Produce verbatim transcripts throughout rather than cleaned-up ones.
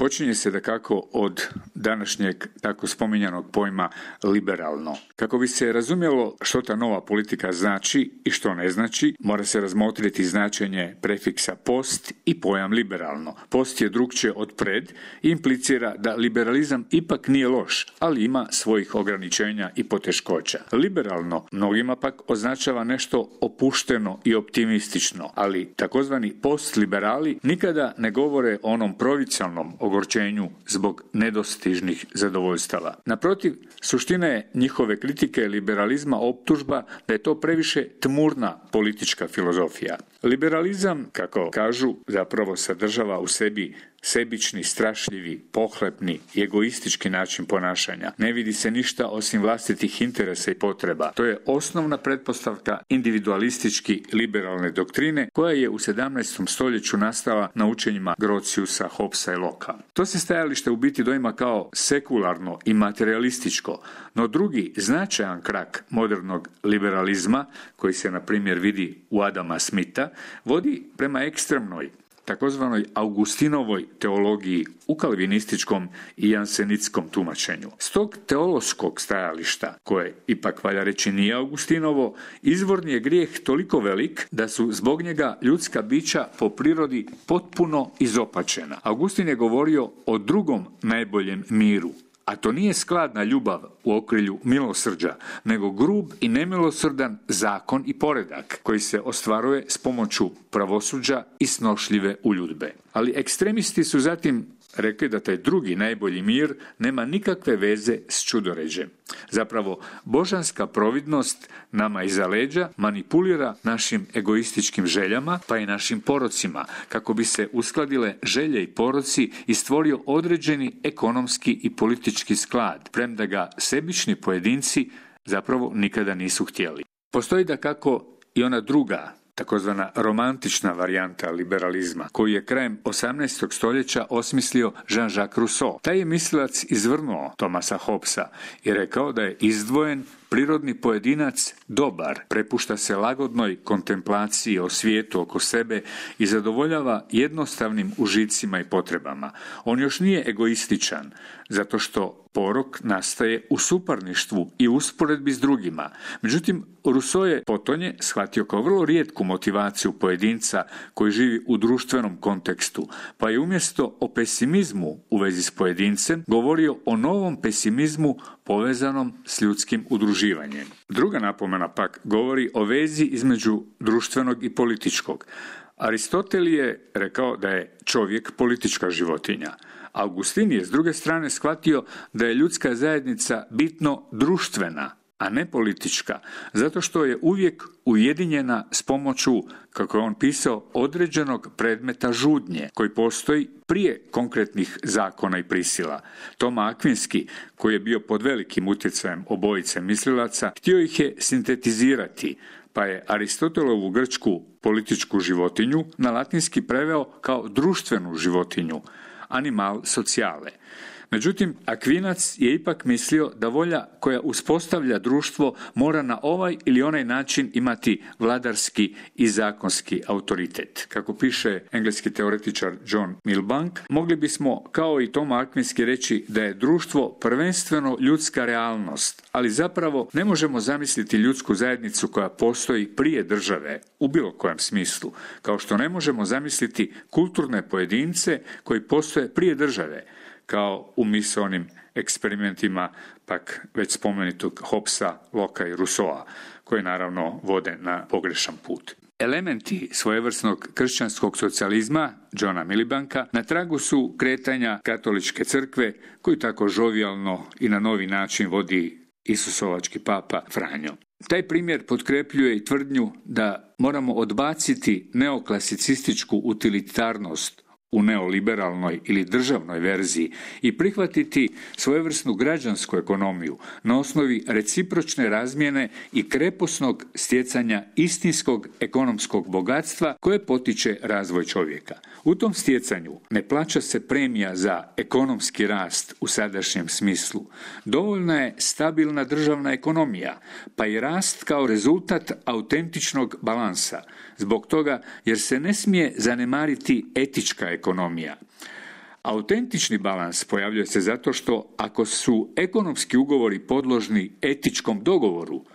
Počinje se dakako od današnjeg tako spominjanog pojma liberalno. Kako bi se razumjelo što ta nova politika znači i što ne znači, mora se razmotriti značenje prefiksa post i pojam liberalno. Post je drukčije od pred i implicira da liberalizam ipak nije loš, ali ima svojih ograničenja i poteškoća. Liberalno mnogima pak označava nešto opušteno i optimistično, ali takozvani postliberali nikada ne govore o onom provincijalnom ogorčenju zbog nedostižnih zadovoljstava. Naprotiv, suština je njihove kritike liberalizma optužba da je to previše tmurna politička filozofija. Liberalizam, kako kažu, zapravo sadržava u sebi sebični, strašljivi, pohlepni i egoistički način ponašanja. Ne vidi se ništa osim vlastitih interesa i potreba. To je osnovna pretpostavka individualistički liberalne doktrine koja je u sedamnaestom stoljeću nastala na učenjima Grotiusa, Hobbesa i Locke. To se stajalište u biti doima kao sekularno i materialističko, no drugi značajan krak modernog liberalizma, koji se na primjer vidi u Adama Smitha, vodi prema ekstremnoj takozvanoj Augustinovoj teologiji u kalvinističkom i jansenitskom tumačenju. S tog teološkog stajališta, koje ipak valja reći nije Augustinovo, izvorni je grijeh toliko velik da su zbog njega ljudska bića po prirodi potpuno izopačena. Augustin je govorio o drugom najboljem miru, a to nije skladna ljubav u okrilju milosrđa, nego grub i nemilosrdan zakon i poredak koji se ostvaruje s pomoću pravosuđa i snošljive uljudbe. Ali ekstremisti su zatim rekli da taj drugi najbolji mir nema nikakve veze s čudoređem. Zapravo, božanska providnost nama iza leđa manipulira našim egoističkim željama pa i našim porocima kako bi se uskladile želje i poroci i stvorio određeni ekonomski i politički sklad, premda ga sebični pojedinci zapravo nikada nisu htjeli. Postoji dakako i ona druga, takozvana romantična varijanta liberalizma, koju je krajem osamnaestog stoljeća osmislio Jean-Jacques Rousseau. Taj je mislilac izvrnuo Thomasa Hobbesa i rekao da je izdvojen prirodni pojedinac dobar, prepušta se lagodnoj kontemplaciji o svijetu oko sebe i zadovoljava jednostavnim užicima i potrebama. On još nije egoističan, zato što porok nastaje u suparništvu i usporedbi s drugima. Međutim, Rousseau je potonje shvatio kao vrlo rijetku motivaciju pojedinca koji živi u društvenom kontekstu, pa je umjesto o pesimizmu u vezi s pojedincem govorio o novom pesimizmu povezanom s ljudskim udruživanjem. Druga napomena pak govori o vezi između društvenog i političkog. Aristotel je rekao da je čovjek politička životinja. Augustin je s druge strane shvatio da je ljudska zajednica bitno društvena, a ne politička, zato što je uvijek ujedinjena s pomoću, kako je on pisao, određenog predmeta žudnje, koji postoji prije konkretnih zakona i prisila. Toma Akvinski, koji je bio pod velikim utjecajem obojice mislilaca, htio ih je sintetizirati, pa je Aristotelovu grčku političku životinju na latinski preveo kao društvenu životinju, animal sociale. Međutim, Akvinac je ipak mislio da volja koja uspostavlja društvo mora na ovaj ili onaj način imati vladarski i zakonski autoritet. Kako piše engleski teoretičar John Milbank, mogli bismo kao i Toma Akvinski reći da je društvo prvenstveno ljudska realnost, ali zapravo ne možemo zamisliti ljudsku zajednicu koja postoji prije države u bilo kojem smislu, kao što ne možemo zamisliti kulturne pojedince koji postoje prije države, kao u misaonim eksperimentima pak već spomenutog Hobbesa, Locke i Rousseaua, koji naravno vode na pogrešan put. Elementi svojevrsnog kršćanskog socijalizma Johna Milbanka na tragu su kretanja katoličke crkve, koju tako žovijalno i na novi način vodi Isusovački papa Franjo. Taj primjer potkrepljuje i tvrdnju da moramo odbaciti neoklasicističku utilitarnost u neoliberalnoj ili državnoj verziji i prihvatiti svojevrsnu građansku ekonomiju na osnovi recipročne razmjene i kreposnog stjecanja istinskog ekonomskog bogatstva koje potiče razvoj čovjeka. U tom stjecanju ne plaća se premija za ekonomski rast u sadašnjem smislu. Dovoljna je stabilna državna ekonomija, pa i rast kao rezultat autentičnog balansa. Zbog toga jer se ne smije zanemariti etička ekonomija. Autentični balans pojavljuje se zato što ako su ekonomski ugovori podložni etičkom dogovoru,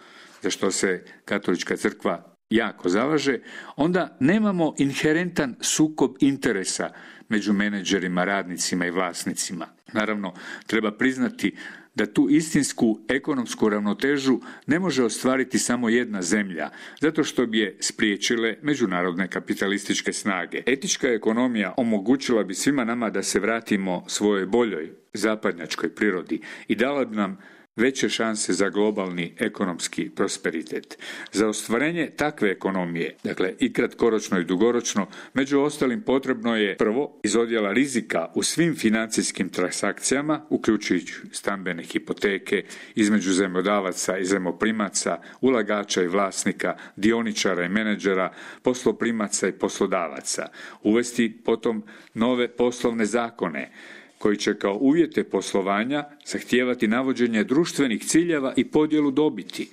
za što se Katolička crkva jako zalaže, onda nemamo inherentan sukob interesa među menadžerima, radnicima i vlasnicima. Naravno, treba priznati da tu istinsku ekonomsku ravnotežu ne može ostvariti samo jedna zemlja, zato što bi je spriječile međunarodne kapitalističke snage. Etička ekonomija omogućila bi svima nama da se vratimo svojoj boljoj zapadnjačkoj prirodi i dala bi nam veće šanse za globalni ekonomski prosperitet. Za ostvarenje takve ekonomije, dakle i kratkoročno i dugoročno, među ostalim potrebno je prvo iz odjela rizika u svim financijskim transakcijama, uključujući stambene hipoteke, između zajmodavaca i zajmoprimaca, ulagača i vlasnika, dioničara i menadžera, posloprimaca i poslodavaca. Uvesti potom nove poslovne zakone, koji će kao uvjete poslovanja zahtijevati navođenje društvenih ciljeva i podjelu dobiti.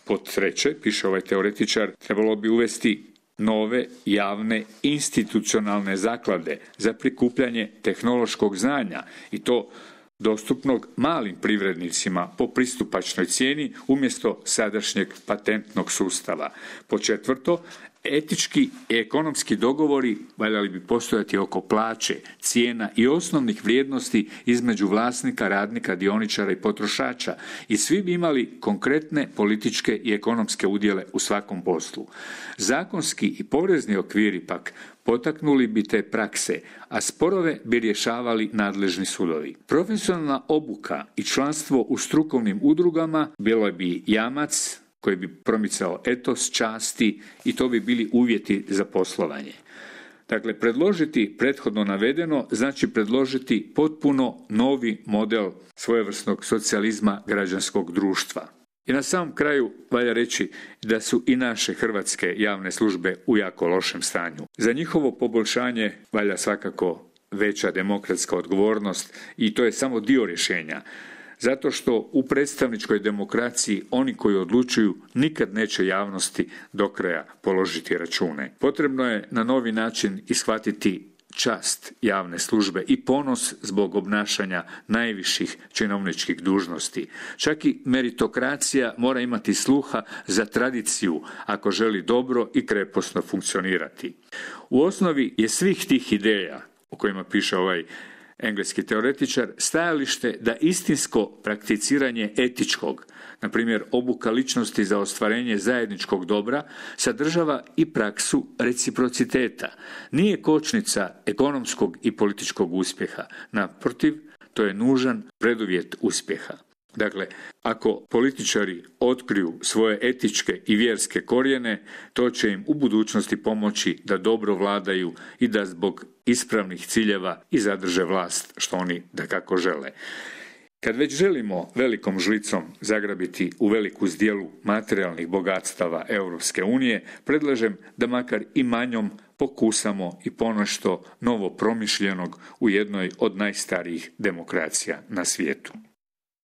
Pod treće, piše ovaj teoretičar, trebalo bi uvesti nove javne institucionalne zaklade za prikupljanje tehnološkog znanja i to dostupnog malim privrednicima po pristupačnoj cijeni umjesto sadašnjeg patentnog sustava. Pod četvrto, etički i ekonomski dogovori valjali bi postojati oko plaće, cijena i osnovnih vrijednosti između vlasnika, radnika, dioničara i potrošača i svi bi imali konkretne političke i ekonomske udjele u svakom poslu. Zakonski i porezni okviri pak potaknuli bi te prakse, a sporove bi rješavali nadležni sudovi. Profesionalna obuka i članstvo u strukovnim udrugama bilo bi jamac koji bi promicao etos, časti i to bi bili uvjeti za poslovanje. Dakle, predložiti prethodno navedeno znači predložiti potpuno novi model svojevrsnog socijalizma građanskog društva. I na samom kraju valja reći da su i naše hrvatske javne službe u jako lošem stanju. Za njihovo poboljšanje valja svakako veća demokratska odgovornost i to je samo dio rješenja. Zato što u predstavničkoj demokraciji oni koji odlučuju nikad neće javnosti do kraja položiti račune. Potrebno je na novi način ishvatiti čast javne službe i ponos zbog obnašanja najviših činovničkih dužnosti. Čak i meritokracija mora imati sluha za tradiciju ako želi dobro i kreposno funkcionirati. U osnovi je svih tih ideja o kojima piše ovaj engleski teoretičar stajalište da istinsko prakticiranje etičkog, na primjer obuka ličnosti za ostvarenje zajedničkog dobra, sadržava i praksu reciprociteta. Nije kočnica ekonomskog i političkog uspjeha. Naprotiv, to je nužan preduvjet uspjeha. Dakle, ako političari otkriju svoje etičke i vjerske korijene, to će im u budućnosti pomoći da dobro vladaju i da zbog ispravnih ciljeva i zadrže vlast što oni dakako žele. Kad već želimo velikom žlicom zagrabiti u veliku zdjelu materijalnih bogatstava Europske unije, predlažem da makar i manjom pokusamo i ponešto novo promišljenog u jednoj od najstarijih demokracija na svijetu.